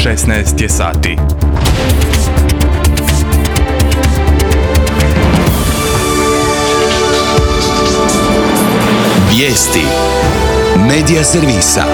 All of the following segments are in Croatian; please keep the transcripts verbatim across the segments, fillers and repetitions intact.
šesnaest je sati. Vijesti Medija servisa.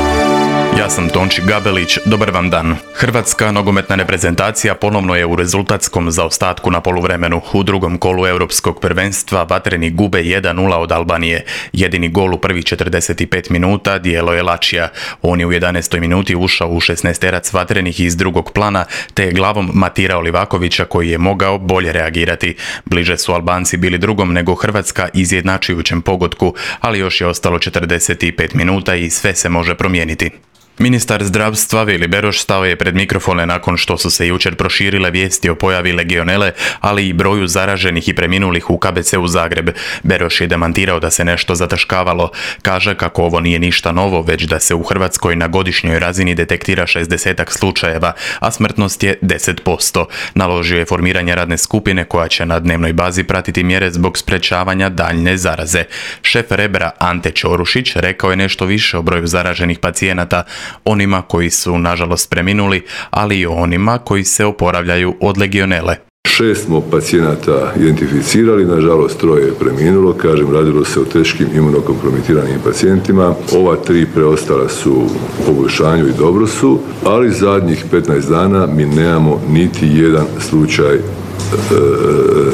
Ja sam Tonči Gabelić, dobar vam dan. Hrvatska nogometna reprezentacija ponovno je u rezultatskom zaostatku na poluvremenu. U drugom kolu europskog prvenstva vatreni gube jedan nula od Albanije. Jedini gol u prvih četrdeset pet minuta dijelo je Lačija. On je u jedanaestoj minuti ušao u šesnaesterac vatrenih iz drugog plana, te je glavom matirao Livakovića koji je mogao bolje reagirati. Bliže su Albanci bili drugom nego Hrvatska izjednačujućem pogodku, ali još je ostalo četrdeset pet minuta i sve se može promijeniti. Ministar zdravstva Vili Beroš stao je pred mikrofone nakon što su se jučer proširile vijesti o pojavi legionele, ali i broju zaraženih i preminulih u K B C-u Zagreb. Beroš je demantirao da se nešto zataškavalo. Kaže kako ovo nije ništa novo, već da se u Hrvatskoj na godišnjoj razini detektira šezdesetak slučajeva, a smrtnost je deset posto. Naložio je formiranje radne skupine koja će na dnevnoj bazi pratiti mjere zbog sprečavanja daljne zaraze. Šef Rebra Ante Ćorušić rekao je nešto više o broju zaraženih pacijenata, onima koji su nažalost preminuli, ali i onima koji se oporavljaju od legionele. Šest smo pacijenata identificirali, nažalost troje je preminulo, kažem radilo se o teškim imunokompromitiranim pacijentima. Ova tri preostala su u poboljšanju i dobro su, ali zadnjih petnaest dana mi nemamo niti jedan slučaj e,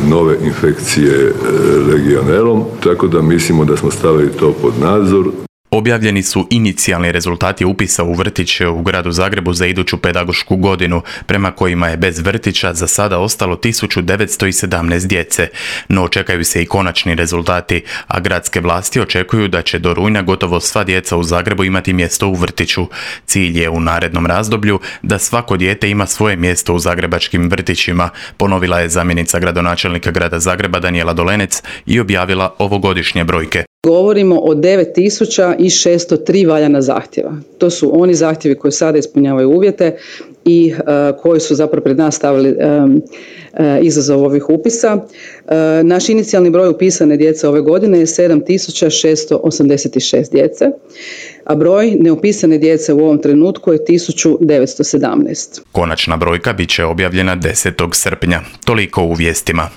nove infekcije e, legionelom, tako da mislimo da smo stavili to pod nadzor. Objavljeni su inicijalni rezultati upisa u vrtiće u gradu Zagrebu za iduću pedagošku godinu, prema kojima je bez vrtića za sada ostalo tisuću devetsto sedamnaest djece. No očekaju se i konačni rezultati, a gradske vlasti očekuju da će do rujna gotovo sva djeca u Zagrebu imati mjesto u vrtiću. Cilj je u narednom razdoblju da svako dijete ima svoje mjesto u zagrebačkim vrtićima, ponovila je zamjenica gradonačelnika grada Zagreba Danijela Dolenec i objavila ovogodišnje brojke. Govorimo o devet tisuća šesto tri valjana zahtjeva. To su oni zahtjevi koji sada ispunjavaju uvjete i uh, koji su zapravo pred nas stavili um, uh, izazov ovih upisa. Uh, naš inicijalni broj upisane djece ove godine je sedam tisuća šesto osamdeset šest djece, a broj neupisane djece u ovom trenutku je tisuću devetsto sedamnaest. Konačna brojka bit će objavljena desetog srpnja. Toliko u vijestima.